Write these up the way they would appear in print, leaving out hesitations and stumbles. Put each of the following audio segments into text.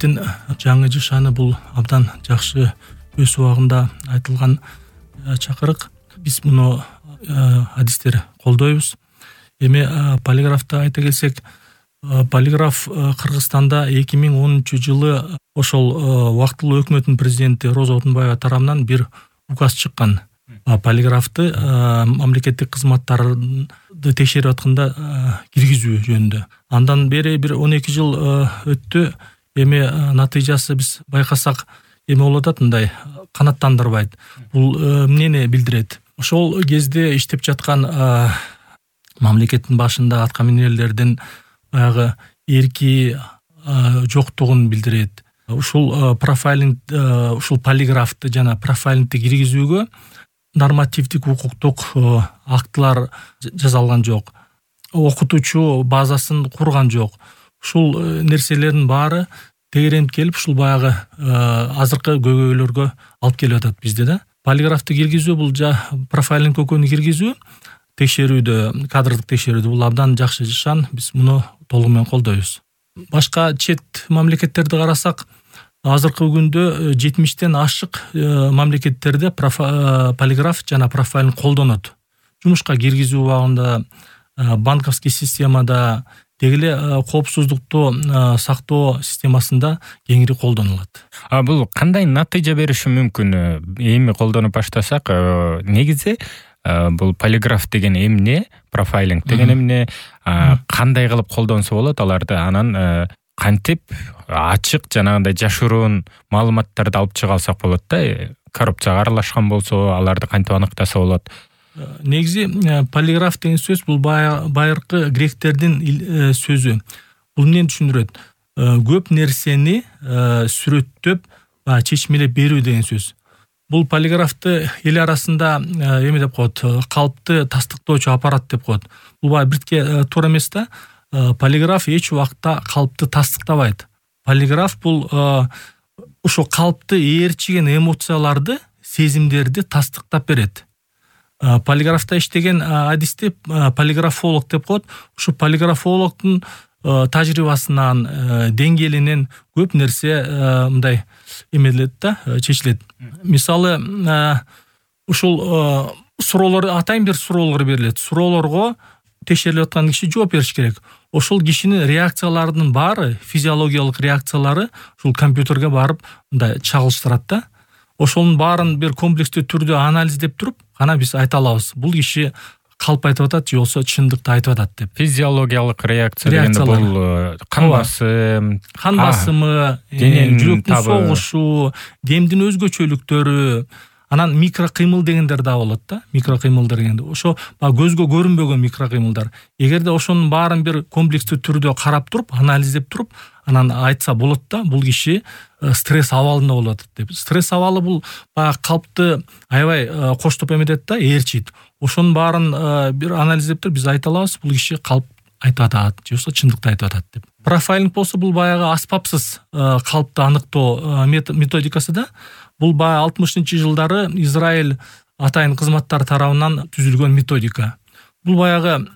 мамлекеттин жаңы жашаны бул абдан жакшы өз убагында айтылган чакырык. Биз муну адистер колдойбуз. Эми полиграфты айта келсек, полиграф Кыргызстанда 2010-жылы ошол убактылуу өкмөттүн президенти Роза Отунбаева тарабынан бир указ чыккан. Полиграфты мамлекеттик кызматтарды текшерип атканда киргизүү жөнүндө. Андан бери бир 12 жыл өттү. Эми натыйжасы биз байкасак эме болуп атат, мындай канаттандырбайт. Бул эмнени билдирет? Ошол кезде иштеп жаткан мамлекеттин башында аткаминерлердин баягы эрки жоктугун билдирет. Ушул профайлинг, ушул полиграфты жана профайлингти киргизүүгө нормативдик укуктук актылар жасалган жок. Окутуучу базасын курган жок. Ушул нерселердин баары тегеренип келип, ушул баягы азыркы көйгөйлөргө алып келип атат бизде да. Полиграфты киргизүү бул профайлинг көкөнү киргизүү, текшерүүдө, кадрдык текшерүүдө бул абдан жакшы жашан. Биз муну толугу менен колдойбуз. Башка чет мамлекеттерди карасак, азыркы күндө 70тен ашык мамлекеттерде полиграф жана профайлинг колдонот. Жумушка киргизүү убагында, банковский системада, деги эле коопсуздукту сактоо системасында кеңири колдонулат. Бул кандай натыйжа бериши мүмкүн? Эми колдонуп баштасак, негизи бул полиграф деген эмне, профайлинг деген эмне, кандай кылып колдонсо болот аларды, анан кантип ачык жанагындай жашыруун маалыматтарды алып чыга алсак болот да. Коррупцияга аралашкан болсо, аларды кантип аныктаса болот? Негизи полиграф деген сөз бул байыркы гректердин сөзү. Бул эмнени түшүндүрөт? Көп нерсени сүрөттөп, чечмелеп берүү деген сөз. Бул полиграфты эл арасында эме деп коет, калпты тастыктоочу аппарат деп коет. Бул бирдикке туура эмес да. Полиграф эч убакта калпты тастыктабайт. Полиграф бул ошо калпты ээрчиген эмоцияларды, сезимдерди тастыктап берет. Полиграфта иштеген адисти полиграфолог деп коет. Ушу полиграфологдун тажрыйбасынан, деңгээлинен көп нерсе мындай эмелет да, чечилет. Мисалы, ушул суроолор, атайын бир суроолор берилет. Суроолорго текшерилип аткан киши жооп бериш керек. Ошол кишинин реакцияларынын баары, физиологиялык реакциялары ушул компьютерге барып мындай чагылыштырат да. Ошонун баарын бир комплекстүү түрдө анализдеп туруп, ана биз айта алабыз. Бул киши калп айтып атат же болсо чындыкты айтып атат деп. Физиологиялык реакция дегенде бул кан басымы, жүрөктүн согушу, демдин өзгөчөлүктөрү, анан микрокыймыл дегендер да болот да. Микрокыймылдар дегенде ошо көзгө көрүнбөгөн микрокыймылдар. Эгерде ошонун баарын бир комплекстүү түрдө карап туруп, анализдеп туруп, анан айтса болот да, бул киши стресс абалында болуп атат деп. Стресс абалы бул калпты аябай коштоп эметет да, ээрчийт. Ошонун баарын бир анализдеп туруп биз айта алабыз, бул киши калп айтып атат же болсо чындыкты айтып атат деп. Профайлинг болсо бул баягы аспапсыз калпты аныктоо методикасы да. Бул 60-жылдары Израиль атайын кызматтар тарабынан түзүлгөн методика. Бул баягы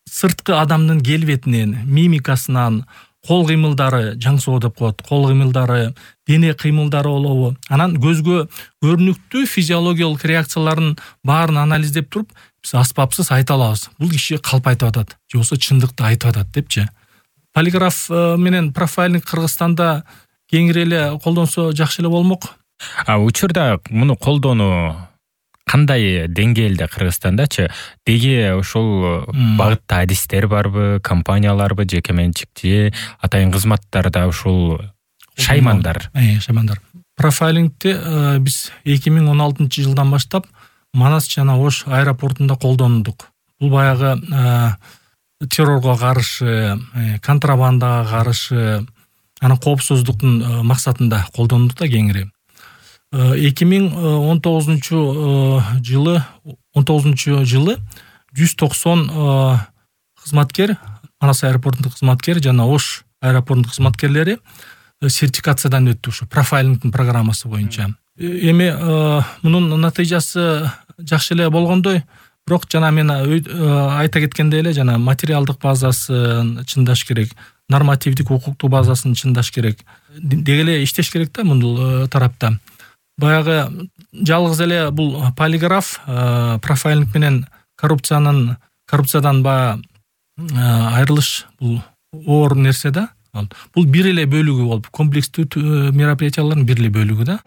сырткы адамдын келбетинен, мимикасынан, кол кыймылдары, жаңсоо деп коет, кол кыймылдары, дене кыймылдары болобу, анан көзгө көрүнүктүү физиологиялык реакцияларын баарын анализдеп туруп, биз аспапсыз айта алабыз. Бул киши калп айтып атат же болсо чындыкты айтып атат депчи. Полиграф менен профайлинг Кыргызстанда кеңири эле колдонсо жакшы эле болмок. Учурда муну колдонуу кандай деңгээлде Кыргызстандачы? Деги ошол багытта адистер барбы, компанияларбы, жеке менчикчи, атайын кызматтарда ушул шаймандар? Шаймандар. Профайлингти биз 2016-жылдан баштап Манас жана Ош аэропортунда колдондук. Бул баягы террорго каршы, контрабандага каршы, анан коопсуздуктун максатында колдондук да кеңири. 2019-жылы 190 кызматкер, Манас аэропортунун кызматкери жана Ош аэропортунун кызматкерлери сертификациядан өттү ушу профайлингдин программасы боюнча. Эми мунун натыйжасы жакшы эле болгондой, бирок жана мен айта кеткендей эле, жана материалдык базасын чындаш керек. нормативдик укуктук базасын чындаш керек, деги эле иштеш керек да мындул тарапта. Баягы жалгыз эле бул полиграф профайлинг менен коррупциядан баягы айрылыш бул оор нерсе да. Бул бир эле бөлүгү болуп, комплекстүү мероприятиялардын бир эле бөлүгү да.